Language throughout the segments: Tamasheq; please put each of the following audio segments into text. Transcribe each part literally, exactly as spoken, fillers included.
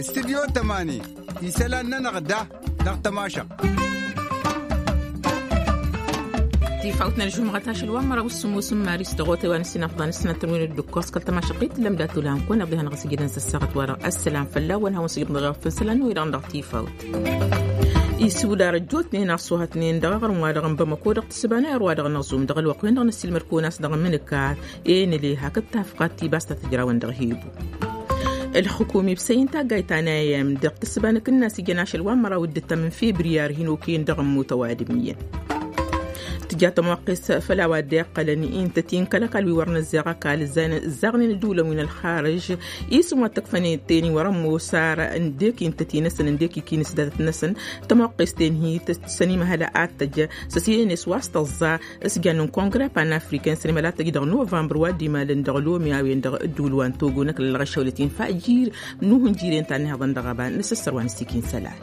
Istudyo tămani isălan-nănăɣ da dăɣ-tămašăɣt. Tifawt n-ălžumɣăt ašăl wa n-măraw s-sǝmmos n-maris dăɣ-otay wa n-ǝssin afḍan s-sănatăn wi n-ǝddǝkkos kăl-tămašăɣt i-t-tǝllăm d-atula n-kăwăn iḍihăn ɣas ǝjǝdăn s-ăssaɣăt wa dăɣ-ăssălam fălla-wăn hawăn s-ijǝḍ dăɣ-efăn isălan-năwăn-dăɣ dăɣ-tifawt. Isudar ăjjootnen a-s ohătnen dăɣ-aɣrǝm-wa-dăɣ n-bamăko dăɣ-tǝssǝba n-ayăr-wa-dăɣ n-aẓum dăɣ-ălwăqq-wen-dăɣ n-ăssiilmăd-kăwăn a-s dăɣ-mǝnǝka enăle hakd tafɣat tibas ta tǝjrawăn dăɣ-hibu. Ălxǝkum ibsăy n-taggayt ta n-ayăm dăɣ-tǝssǝba n-akǝnnas ijăn ašăl wa n-măraw d-ǝttam n-febriyar hin-okăyăn dăɣ-ămmut ăwadǝm iyyăn. Tǝja tămoqqes făll-a-wa dd-iqqălăn intăt-i n-kăl-ăkall wi wăr năzzeɣ ăkall ǝzzaɣnen ǝddǝwǝlăn wi n-ălxarǝž isǝm wa t-ăkfănen teni wăr-ămoos ar ǝndek intăt-i-năsăn ǝndek ikinǝs datăt-năsăn. Tămoqqes-ten hi-tăt-săn imăhăl ad-tăj s-ăsiyănen s-wa s-tăẓẓa s-jan n-kongre panafrikan s-ănimăl ad-tăj dăɣ-novămbăr wa dd-imalăn dăɣ-lomi a-wen-dăɣ ǝddǝwǝl wa n-togo n-ăkall ălɣăšăwlăt-in fajir n-uhǝnjir i-ǝnta n-ihăḍăn dăɣ-ăba n-asǝssăr wa n-ăssikin isălan.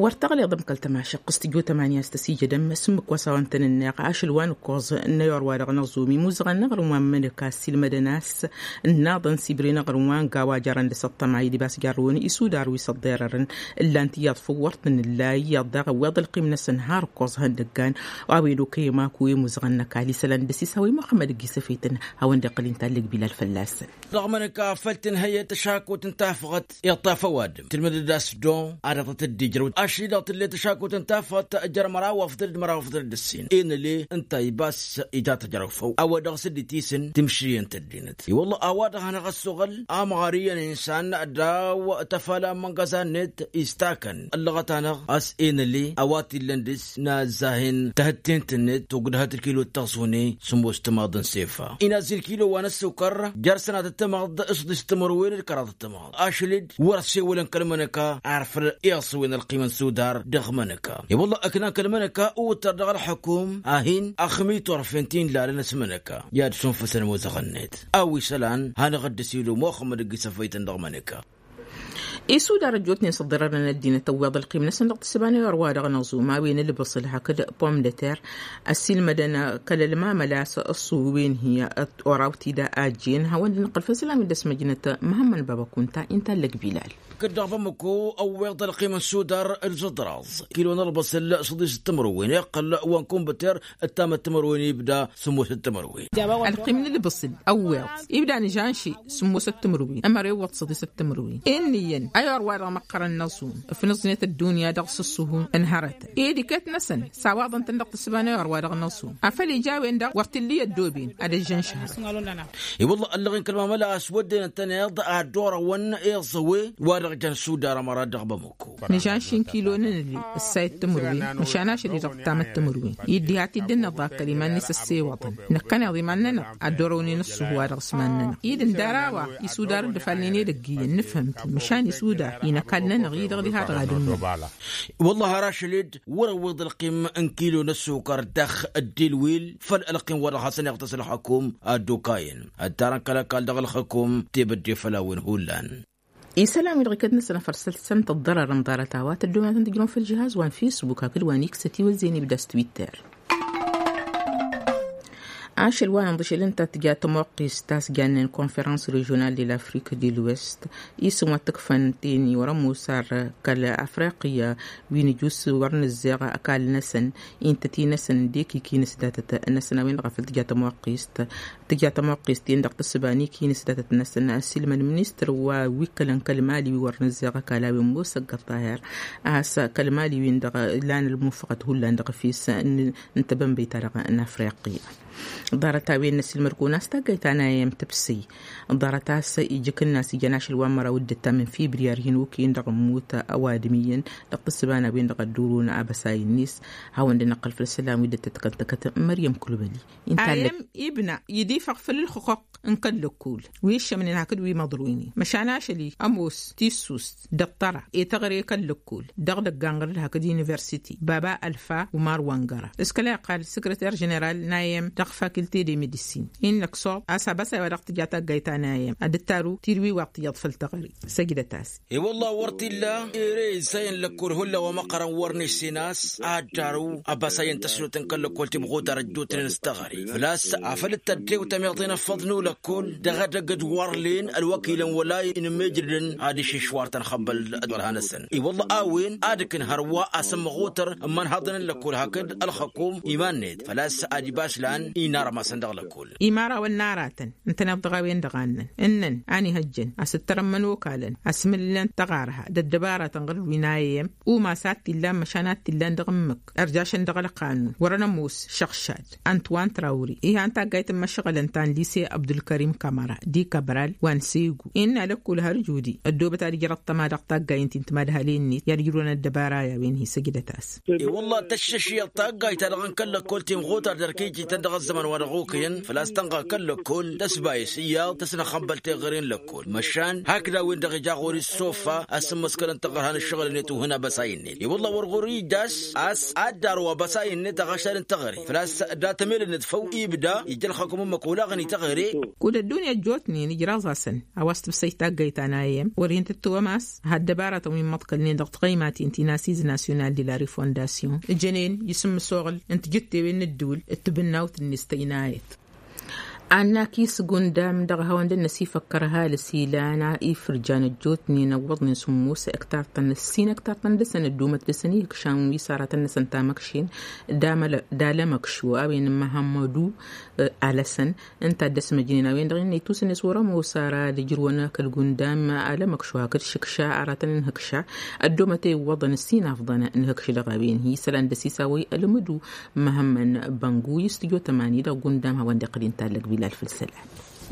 Wăr tăɣleḍ ămkăl-tămašăqqǝst tijăt ămmăs ǝmmǝk wa s-a-wa n-tăn-ǝnneɣ ašăl wa n-ǝkkoẓ n-ayăr wa dăɣ-năẓum imuzăɣăn n-aɣrǝm wa n-imănăk a ǝssiilmădăn a-s ǝnnaḍăn s-ibre n-aɣrǝm wa n-gawa jărăn dăɣ-s ăṭṭăma idǝb a-s jarrăwăn isudar wi s-ăḍḍerărăn. Ǝllan-t iyyăḍ făw wăr tăn-ǝlla iyyăḍ daɣ ăwweḍ ălqim-năsăn har ǝkkoẓ ihăndăggan a-wen okăyăm akǝw i-imuzăɣăn n-ăkall isălan dăr-s isawăy muxămmăd ăgg-isăfăytăn hawăn-dd-iqqăl inta ăllăg bilal fălla-săn. Dăɣ-mănăka făl tǝnhăyăt tăšakut n-tafɣăt iṭṭaf ăwadǝm tǝlmǝdăd a-s doŋ ad-dăɣ-tăt-dd-ijrăw ašăl-i dăɣ-tǝllet tăšakut n-tafɣăt jer-măraw afḍăl d-măraw afḍăl d-ǝssin enăle ǝnta ibas ija tăjrăw făw a-wa dăɣ-s dd-itisǝn timǝšriyăn tăddinăt i-wălla a-wa dăɣ-hanăɣ-ăssuɣǝl amɣar iyyăn insan daw-tăfala n-imăngăza-net istakăn ăllăɣăt-anăɣ a-s enăle a-wa t-illăn dăr-s n-azzahen tahǝtten-tǝnnet togdăhăt ǝlkilo d-taẓune sǝmmos timaḍ n-sefa inazzi ǝlkilo wa n-ăssukăr jer-sănatăt timaḍ s-ḍis timărwen d-kăraḍăt timaḍ ašăl-dd wăr-ăssewălăn kăl-mănăka ar făl iẓǝwen ălqimăn sudar dăɣ-mănăka i-wălla ǝknan kăl-mănăka uwǝttăr dăɣ-ălxukum a hin-axǝm iturfen ti n-lalăn s-mănăka i-ad-sunfǝsăn imuzăɣăn-net a-wa isălan hanăɣ-dd-ăsilu muxămmăd ăgg-isăfăytăn dăɣ-mănăka. Isudar ăjjootnen s-ăḍḍărărăn ăddinăt ăwweḍ ălqim-năsăn dăɣ-tǝssǝba n-ayăr wa dăɣ-năẓum a-wen ǝlbǝṣǝl hakd pom de terr ăssiilmădăn kăl-ălmamăla a-s ăṣṣuwen hi-oraw tida ajjen hawăn-dd-nǝqqǝl făll-isălan wi dd-ăsmăjnăt măhămmăn baba kunta inta ăllăg bilal. Kăddaɣ bamăko ăwweḍ ălqim n-sudar d-zǝḍraẓ kilo n-ălbăṣǝl s-ḍis d-timǝrwen iqqăl wa n-kumbăter d-tamăt timǝrwen ibda sǝmmosăt timǝrwen. Ălqim n-ǝlbǝṣǝl ăwweḍ ibda nǝžanši sǝmmosăt timǝrwen ămăra iwwăḍ s-ḍisăt timǝrwen inn'-iyyăn ayăr wa dăɣ-măqqărăn n-aẓum ǝfnǝẓnet ăddunya dăɣ-s ǝṣṣuhu n-hărătăn i-diket-năsăn sawaḍăn-tăn dăɣ-tǝssǝba n-ayăr wa dăɣ-năẓum afăl ija a-wen-dăɣ wăr t-illa i-ăddooben ad-ăžžăn šăhrăn. I-wălla ăllăɣen kăl-mamăla a-s wădden ǝntăneḍ ad-dd-orăwăn iẓăwe wa dăɣ-jăn sudar ămăra dăɣ-bamăko. Nǝžanši n-kilo n-ǝnǝli ǝssayăt timǝrwen măšan ašăl-i dăɣ-tamăt timǝrwen i-dd-iha t-dd-ǝnnăḍ akkăl iman-net ăssewăḍăn năkkăneḍ iman-nănăɣ ad-dd-orăwnen ǝṣṣuhu wa dăɣ-s iman-nănăɣ i-dd-ǝndar a-wa isudar dd-ăfalnen edăgg iyyăn nǝfhǝm-t măšan isudar-i n-ăkall-nănăɣ-i-dăɣ diha-dăɣ ad-ǝnnăɣ. Wălla har ašăl-dd wăr-ăwweḍ ălqim n-kilo n-ăssukăr dăɣ-ăddilwil făll-ălqim wa dăɣ-hasăn-iɣtăs ălxăkum ad-dd-okayăn ăttarăn kăl-ăkall dăɣ-ălxăkum tebădde făll-a-wen hullan. Isălan-wi-dăɣ iket-năsăn afărsăl-săn tăḍḍărărăn ḍarăt a-wa tăddomen ad-tăn-tǝjrǝwăn făll-žihaz wa n-fisbuk hakd wa n-iksăt iwăzzeyăn ibda s-twitter. Ašăl wa n-inḍǝšel ǝnta tǝja tămoqqist ta s-jannen konferans režional de l'afrik de l'ouest isǝm wa t-ǝkfăn teni wăr-ămoos ar kăl-afriqya wi n-ǝjus wăr nǝzzeɣ ăkall-năsăn intăt-i-năsăn dd-ekiki n-asdatăt-năsăn a-wen-dăɣ a făl tǝja tămoqqist tǝja tămoqqist-en dăɣ-tǝssǝba n-ikinǝs datăt-năsăn a-s ilmăn ministăr wa wi ǝkkălăn kăl-mali wi wăr nǝzzeɣ ăkall a-wen musăggăr tahir a-s kăl-mali-win-dăɣ lan ălmufăɣăt hullan dăɣ-efes n-tebănbăy-ta-dăɣ n-afriqi. Ḍarăt-a-wen n-ăsilmăd-kăwăn a-s taggayt ta n-a i-m tǝbsǝy ḍarăt a-s ijǝkǝnna a-s ijăn ašăl wa n-măraw dd-ǝttam n-fibriyar hin-okăyăn dăɣ-ămmut ăwadǝm iyyăn dăɣ-tǝssǝba n-a-wen-dăɣ ăddurun abăsay-net. Hawăn-dd-năqqăl făll-isălan wi dd-tăt-kăntăkăt măryăm kulbăli. Inta a-wen ibna idifăɣ făll-ǝlxǝqq n-kăl-lăkkul wi ǝššămnen hakd wi măḍruynen măšan ašăl-i ămoos tissust dăɣ-tăra i-tăɣre kăl-lăkkul dăɣ-dăgg-anɣăr d-hakd universiti baba ălfa umar wăngăra s-kăla iqqal săkrăter ženeral n-a i-m dăɣ-fak. Tede medisin innăk soḍ a-s abasay wa dăɣ-tǝja taggayt ta n-a i-m ad-dd-taru tirwi wa ɣ-tǝjjaḍ făll-teɣăre. Săjdăt-as. I-wălla wăr t-illa ere isăyăn lăkkol hulla wa măqqărăn wăr n-essen a-s ad-darǝw abasayăn tăsnotăn kăl-lăkkol timɣutar ăjjootnen s-teɣăre făl-a-s afăl dd-tăddew tămiḍen ăffăḍnu lăkkol dăɣ-edăgg d-wărlen ălwăkilăn wăla inǝmmejrǝdăn ad-išǝššwartăn xăbbăl d-wălha-năsăn. I-wălla a-wen ad-ǝkn hărwa asǝmmăɣutăr n-imănhaḍăn n-lăkkol hakd ălxăkum iman-net făl-a-s ad-ibas lan inarămasăn dăɣ-lăkkol. Imarawăn n-aratăn ǝntăneḍ dăɣ-a-wen-dăɣ a ǝnnăn ǝnnăn a n-ihăjjăn a-s ǝttărămmăn okalăn asmǝllăn tăɣarha d-ăddăbaratăn ɣǝr-wi n-a i-m umas a t-illan măšan a t-illan dăɣ-ǝmmǝk ărjašăn dăɣ-ălqanun wăr-ănămoos šăɣšad. Ăntwan trawri ihan taggayt n-imăšɣălăn ta n-lise abdulkărim kamăra d-ikăbral wa n-segu innă lăkkul har judi ăddoobăt ad-ǝjrăḍ tăma dăɣ-taggay n-ti n-timadhalen-net i-ad-ǝjrǝwăn ăddăbara i-a-wen hi-săjdăt-as. I-wălla tăššăšyăḍ taggayt-ta-dăɣ n-kăl-lăkkol timɣutar d-erk ijjităn dăɣ-ăzzăman wa dăɣ-okăyăn făl-a-s tănɣa kăl-lăkkol tăsbayǝs iyyăḍ tăsnăxănbăl teɣăre n-lăkkol măšan hakd a-wen-dăɣ ija ɣur-i s-soffa a-s ǝmmǝskălăn taɣărha n-ǝššăɣǝl-net uhǝn abăsay-net. I-wălla wăr ɣur-ija a-s a-s ad-darǝw abăsay-net aɣăšal n-teɣăre făl-a-s dat-ămelănăt făw ibda ijja ălxăkum ǝmmǝk olaɣăn i-teɣăre. Kud ăddunya ăjjootnen ǝjraẓ-asăn a-wa s-tǝbsăy taggayt ta n-a i-m wăr hin-tǝttǝwăm a-s ha ăddăbaratăn wi n-imăḍkălnen dăɣ-tiɣăymaten ti n-asiz nasyonal de la refondasyon ǝjănen isǝmmǝsoɣǝl n-tijǝttewen n-ǝddǝwǝl d-tibǝnnawt-net tăynayăt. Annak-i s-gundam dăɣ-hawăn-dd-năsifăkkăr ăhalǝs ilan ifǝrjan ăjjootnen ăwwăḍnen sǝmmos ăktartăn ǝssin ăktartăn dăɣ-săn ăddoomăt dăɣ-săn ihǝkšan wi s-aratăn-năsăn tamăkšin d-alămăkšu a-wen n-măhămmădu alăsăn ǝnta a dd-ăsmăjnen a-wen-dăɣ innă itusǝnnes wăr-ămoos ara ad-ǝjrǝwăn kăl-gundam alămăkšu hakd šǝkša aratăn n-ihǝkša ăddoomăt i-iwwăḍăn ǝssin afḍăn n-ihǝkš dăɣ-a-wen hi-isălan dăr-s isawăy ălmǝdu. Măhămmăn băngu i-s tǝjo tămani dăɣ-gundam hawăn-dd-iqqăl intallăg bilal făll-isălan.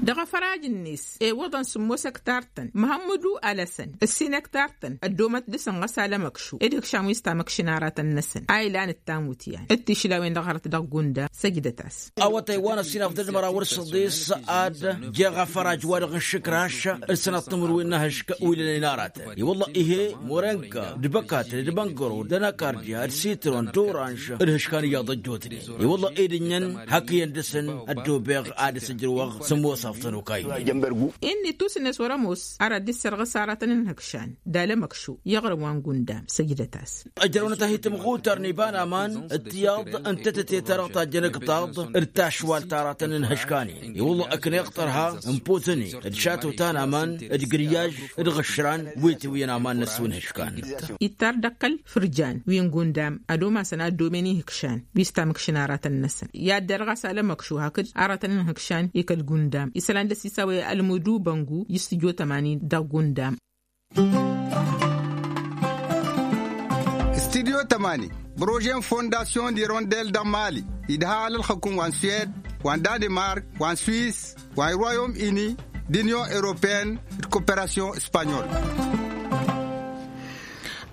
Dăɣ-afăraj-net iwwăḍăn sǝmmos ăktartăn măhămmădu alăsăn ǝssin ăktartăn ăddoomăt dăɣ-săn ɣas alămăkšu d-ihǝkšan wi s-tamăkšin aratăn-năsăn a ilan d-tamutyan d-tišlawen dăɣ-hărăt dăɣ-gundam săjdăt-as. Awătay wa n-ăsinafdăd măraw d-săḍis ad-jeɣ afăraj-wa-dăɣ n-išǝkraš d-sănăḍ timǝrwen n-ehǝšk wi lănen aratăn i-wălla ihe morenka d-băkatăd d-băngăro d-ănakardya d-sitron d-oranž d-ihǝškan iyyăḍ ăjjootnen. I-wălla ed ǝnnăn hakǝyăn dăɣ-săn ăddoobeɣ ad-dăɣ-s ǝjrǝwăɣ sămoos afḍăn okaynen. Innă itusǝnnes wăr-ămoos ara dd-issărɣǝs aratăn n-ihǝkšan d-alămăkšu i-aɣrǝm wa n-gundam săjdăt-as. Ăjrăwnăt-ahi timɣutar n-iba n-aman d-tiyaḍ n-tetăte-ta-dăɣ tajjăn ǝktaḍ d-tašwalt aratăn n-ihǝškanen i-wălla ǝkneɣ tărha n-pozăne d-šato ta n-aman d-grǝyyaž d-iɣǝšran wi tiwǝyăn aman n-ăssu n-ihǝškan. Ittar d-ăkkăl fǝrjan wi n-gundam ad-omasăn ad-dd-omen ihǝkšan wi s-tamǝkšin aratăn-năsăn i-ad-derɣas alămăkšu hakd aratăn n-ihǝkšan i-kăl-gundam isălan dăr-s isawăy ălmǝdu băngu i-s tǝjo tămani dăɣ-gundam. Studyo tămani brožen fondasyon d-irondel dăɣ-mali idha alălxăkum wa n-suwed wa n-danemark wa n-swis wa n-royom ini d-inyon europeyăn d-koperasyon spanyol.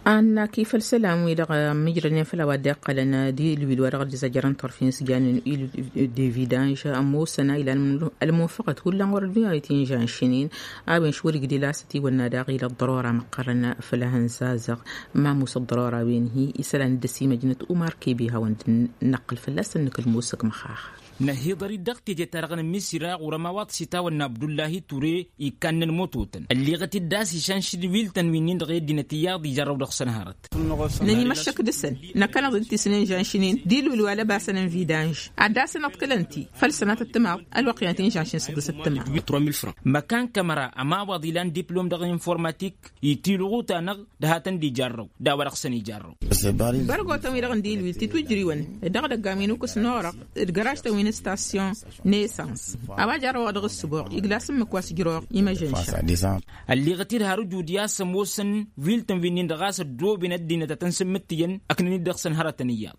Annak-i făll-isălan-wi-dăɣ ămmijrănen făll-a-wa dd-iqqălăn d-ilwil wa dăɣ-dd-izajjărăn turfen s-jannen ilwil d-evidanž ămoosăn a ilan ălmunfăɣăt hullan wăr-ăddunya wi tinžanšnen a-wen š-wăr-igdil a-s ătiwănna daɣ ila ăḍḍărora măqqărăn făll-ehăn zazăɣ. Mamus ăḍḍărora-wen-hi isălan dd-ăsimăjnăt umar kebe hawăn-dd-năqqǝl fălla-săn nǝkǝl musǝk măxaxa. Năhiḍăr-dd dăɣ-teje-ta-dăɣ n-ămmisira ɣur-ămawaḍ s-itawănna abdullahi ture ikkannen mototăn ălleɣăt-dd a-s išanšǝd wiltăn wi-nin-dăɣ i-ăddinăt iyyăḍ ijarrăw dăɣ-săn hărăt. Nănimăššăk dăɣ-săn năkkăneḍ-dd tisnen žanšnen d-ilwǝl wa lăbasăn n-vidanž ad-dasăn-ăḍkǝlăn-t-i făll-sănatăt timaḍ ălwăqq-i-anăt-in žanšnen săḍisăt timaḍ. Măkan kămăra ămawaḍ ilan diplom dăɣ-informatik itilɣu-ta-năɣ d-hatăn-dd-ijarrăw d-a-wa dăɣ-săn ijarrăw. Bărgotăn-wi-dăɣ n-dilwil titwǝjriwăn d-dăɣ-idăggan wi n-ukǝs n-orăɣ d-găražtăn wi n-stasyon nesans a-wa jarrăwăɣ dăɣ-ǝssǝboɣ iglas ǝmmǝk wa s-ǝjrăwăɣ imăžănša. Ălleɣăt-dd har ǝjud i-a-s ămoosăn viltăn wi-nin-dăɣ a-s ăddooben ăddinăt ad-tăn-sǝmmǝttǝyăn ăknăn-dd dăɣ-săn hărătăn iyyăḍ.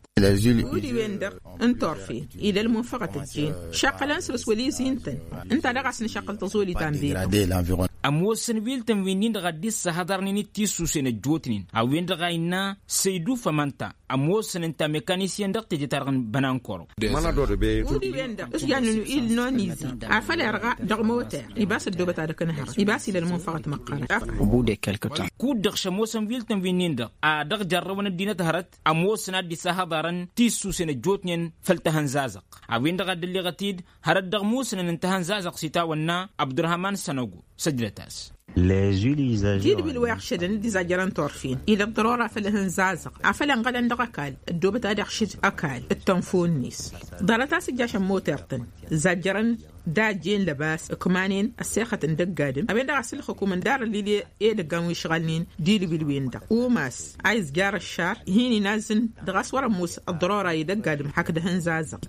Udi-wen-dăɣ n-turfen ila ălmunfăɣăt ăjjeen šaqqălăn săr-s wăla izi ǝntăn. Ǝnta daɣ a-s nǝšaqqăl tăẓoli ta n-bena. Ămoosăn wiltăn wi-nin-dăɣ a dd-issăhăḍărnen d-tissusen ăjjootnen a-wen-dăɣ a innă săydu fămănta ămoosăn ǝnta mekanisyen dăɣ-teje-ta-dăɣ n-bănankoro. Udi-wen-dăɣ s-jannǝnu il-nonizi afăl irɣa dăɣ-moter ibas ăddoobăt ad-ăknăhăɣ ibas ila ălmunfăɣăt măqqărăn. Kud-dăɣ šămoosăn wiltăn. nin-dăɣ a dăɣ-jarrăwăn ăddinăt hărăt ămoosăn ad-dd-isahăḍarăn tissusen ăjjootnen făll-tahănzazăɣt. A-wen-dăɣ a dd-ălleɣăt-dd hărăt dăɣ-musnăn n-tahănzazăɣt s-itawănna abdurhaman sănogo. Săjdăt-as. Tidbil wa iɣšădăn d-izajjărăn turfen ila ăḍḍărora făll-ehăn zazăɣ afăl ănɣălăn dăɣ-ăkall ăddoobăt ad-iɣšǝd ăkall d-tănfo-net. Ḍarăt a-s ǝjjašăn moter-tăn zajjărăn d-ajjen lăbas ǝkmanen ăssexăt n-dăgg-adǝm a-wen-dăɣ a-s ǝlxǝkum ǝndarăn lil edăggan wi ǝšɣalnen d-ilǝwǝlwen-dăɣ umas a izjar ăššar hin-inazǝn dăɣ-a-s wăr-ămoos ăḍḍărora i-dăgg-adǝm hakd ehăn zazăɣ.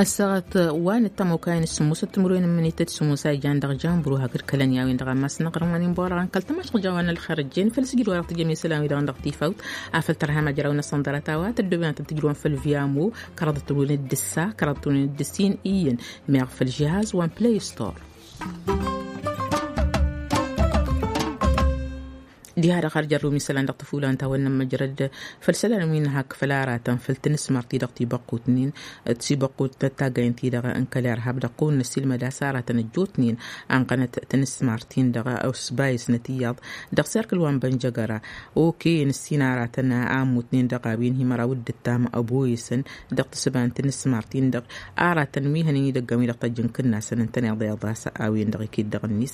Ăssaɣăt wa n-ăttămokayăn s-sǝmmosăt timǝrwen n-imǝnităt s-sǝmmos a ijan dăɣ-janbru hakd kălăn i-a-wen-dăɣ a mass n-aɣrǝm wa n-inbăwălăɣăn kăl-tamašăɣ jawan ălxer ăjjeen făll-s ijrǝwăn dăɣ-tijămesălan-wi-dăɣ n-dăɣ-tifawt afăl tărham ajraw-năsăn ḍarăt a-wa tăddoben ad-tăt-ijrǝwăn făll-viamo kăraḍăt-wen d-ǝssa kăraḍăt-wen d-ǝssin iyyăn meɣ făll-žihaz wa n-play store. Diha-dăɣ har jărrǝw n-isălan dăɣ-tăfula n-tawănna n-măjrăd făll-isălan wi n-hak făll-aratăn făll-tinǝsmar-ti-dăɣ tibăqqutnen d-tibăqqut n-taggayăn-ti-dăɣ n-kăl-irhab dăɣ-kăwăn-năssilmăd a-s aratăn ăjjootnen anqănăt tinǝsmar-tin-dăɣ s-bayǝsnăt iyyăḍ dăɣ-serkǝl wa n-bănjăgăra. Okăyăn ǝssin aratăn a ămmutnen dăɣ-a-wen hi-măraw d-ǝttam ăboyǝsăn dăɣ-tǝssǝba n-tinǝsmar-tin-dăɣ aratăn wi hănen idăggan wi dăɣ-tăjj n-kǝnnasăn ǝntăneḍ iḍas a-wen-dăɣ iket dăɣ-net.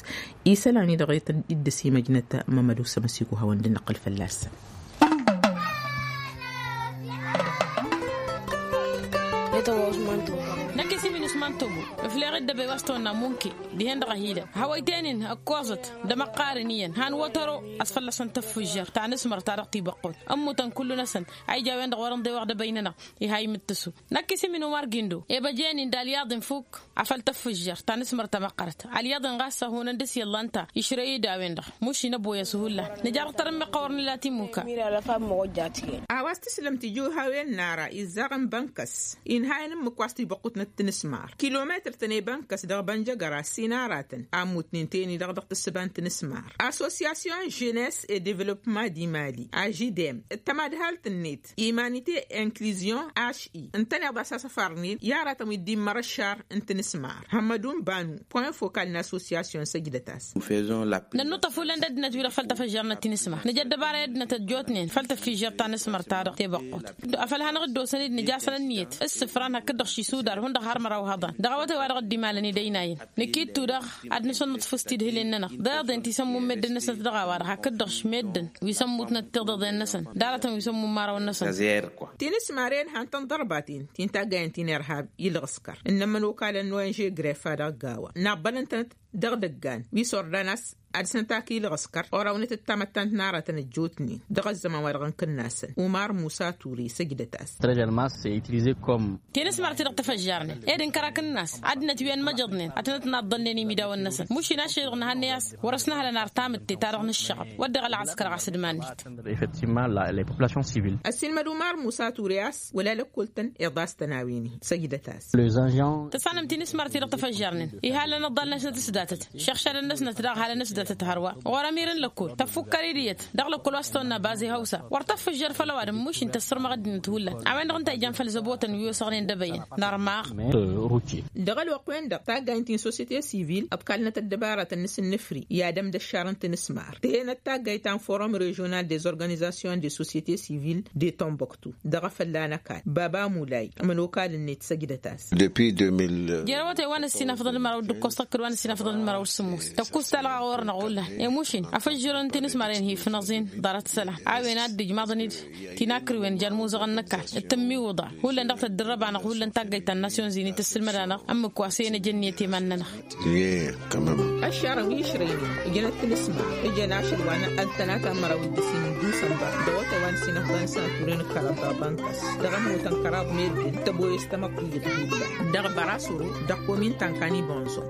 Isălan-i-dăɣ dd-ăsimăjnăt mămăd usămăsiku hawăn-dd-năqqǝl fălla-săn. Năkk isimin usman togo. Ǝfleɣ-dd ăbăy wa s-tăwănna munke dihen-dăɣ ăhilăn hawăyten-in ǝkkoẓăt d-emăqqarăn iyyăn han wătăro a-s fălla-săn tăffǝžžăr ta n-asmăr ta dăɣ-tibăqqot. Ămmutăn kullu-năsăn a ija a-wen-dăɣ wăr-ǝnḍewăɣ d-ebăynănăɣ. Iha imǝttǝsu năkk isimin umar gindo ebăjen-in d-alyaḍ-in fuk. Afăl tăffǝžžăr ta n-asmăr tamăqqărt alyaḍ-in ɣas ăhunăn dăr-s iyyăllan ta išrăy-dd a-wen-dăɣ mušin ăboyăs hullan. Nǝja dăɣ-tărǝmmiɣt a wăr nǝla timuka. A-wa s-tǝslǝm tijǝwhawen n-ara izzaɣ n-bănkăs inhayăn ǝmmǝk wa s-tibăqqutnăt tinǝsmar kilometăr-tăn i-bănkăs dăɣ-bănjăgăra s-inaratăn a ămmutnen teni-dăɣ dăɣ-tǝssǝba n-tinǝsmar assosyasyon ženes e devălopma di mali ažidem d-tămadhalt-net imanite inkluzion aš-i ǝntăneḍ a-s asăfarnen i-aratăn wi dd-immăr ăššar n-tinǝsmar hămmădun banu point fokal n-assosyasyon săjdăt-as. Nănnuṭṭăf hullan d-ăddinăt-wi-dăɣ făll-tafăžžarnăt tinǝsmar nǝja ăddăbara i-ăddinăt ăjjootnen făll-tafǝžžărt ta n-asmăr ta dăɣ-tebăqqot. Afăl hanăɣ-dd-osăn-dd nǝja asăn ǝnniyăt s-sǝfran hakd-dăɣ šisudar hundăɣ har măraw hăḍan dăɣ-awătay wa dăɣ-dd-imalăn idăynayăn. Năkk ittu-dăɣ ad-nǝsănnăḍfǝs tidhǝlen-nănăɣ d-iḍen ti s-ămmut meddǝn-năsnăt dăɣ-a-wa-dăɣ hakd-dăɣ š-meddǝn wi s-ămmutnăt tiḍeḍen-năsăn d-aratăn wi s-ămmut imărawăn-năsăn. Tinǝsmaren han-tăn ḍărbaten ti n-taggayăn ti n-irhab ilɣǝskăr ǝnnămăn okalăn n-onže grefa dăɣ-gawa nabbălăn-tănăt dăɣ-idăggan wi s-ordan a-s ad-dăr-săn tak ilɣǝskăr orăwnăt d-tamăttant n-aratăn ăjjootnen dăɣ-ăzzăman wa dăɣ-n kǝnnasăn umar musa ture săjdăt-as. Tinǝsmar ti-dăɣ tafăžžarnen ed ǝnkăr akǝnnas ăddinăt wi ănmăjăḍnen ad-tănăt-naḍḍălnen imidawăn-năsăn mušin ašăl-i-dăɣ nǝhănnăy a-s wăr-ăsnăhălăn ar tamǝtte-ta-dăɣ nǝššăɣăb wădden ălɣăskăr ɣas d-iman-net. Ăssiilmăd umar musa ture a-s wăla lăkkol-tăn iḍas-tăn a-wen-hi săjdăt-as. Tăsanăm tinǝsmar ti-dăɣ tafăžžarnen iha lăn ăḍḍal-năsnăt s-datăt šăɣšadăn-năsnăt daɣ halăn s-datăt hărwa ɣur-ămir n-lăkkol tăffukkăr-dd iyyăt dăɣ-lăkkol wa s-tăwănna baze hăwsa wăr tăffǝžžăr făll-ăwadǝm mušin tăssărmăɣ ăddinăt hullan a-wen-dăɣ ǝnta a ijan făll-zăbotăn wi osăɣnen d-ebăyăn n-armaɣ. Dăɣ-ălwăqq-wen-dăɣ taggaynt ti n-sosiyete sivil ăḍkalnăt ăddăbaratăn n-asǝnnǝfri i-ad-ămdăššarăn tinǝsmar tǝhenăt taggayt ta n-forum režional des organizations de societe civil de tomboktu dăɣ-efălla n-ăkall baba mulay ămănokal-net săjdăt-as. Jere awătay wa n-ăssinafăḍăn d-măraw d-ǝkkoẓ tăkkăd wa n-ăssinafăḍăn d-măraw d-sǝmmos tăkkus talɣa ɣur-năɣ hullan i-mušin afăžžărăn tinǝsmaren hi-ifnăẓin ḍarăt isălan a-wen ad-dd-ijmaḍăn-dd tinakriwen jan imuzăɣăn n-ăkall d-tǝmmiwǝḍa hullan dăɣ-tăddărrăb-anăɣ hullan taggayt ta n-nasyon zini tǝssǝlmăd-anăɣ ămmǝk wa s-e-năj ǝnniyăt i-iman-nănăɣ. Ăššarăn wi išrăynen ǝjănăt tinǝsma ǝjăn ašăl wa n-ăltănata n-măraw d-ǝssin n-dusănbăr dăɣ-awătay wa n-ăssinăfḍăn s-anăturen ǝkkărăn dăɣ-bănkăs dăɣ-ămmutăn kăraḍ meddǝn tăboyăs tamăḍt tiyyăt hullan dăɣ-bărasuru dăɣ-komin tankani bonzo.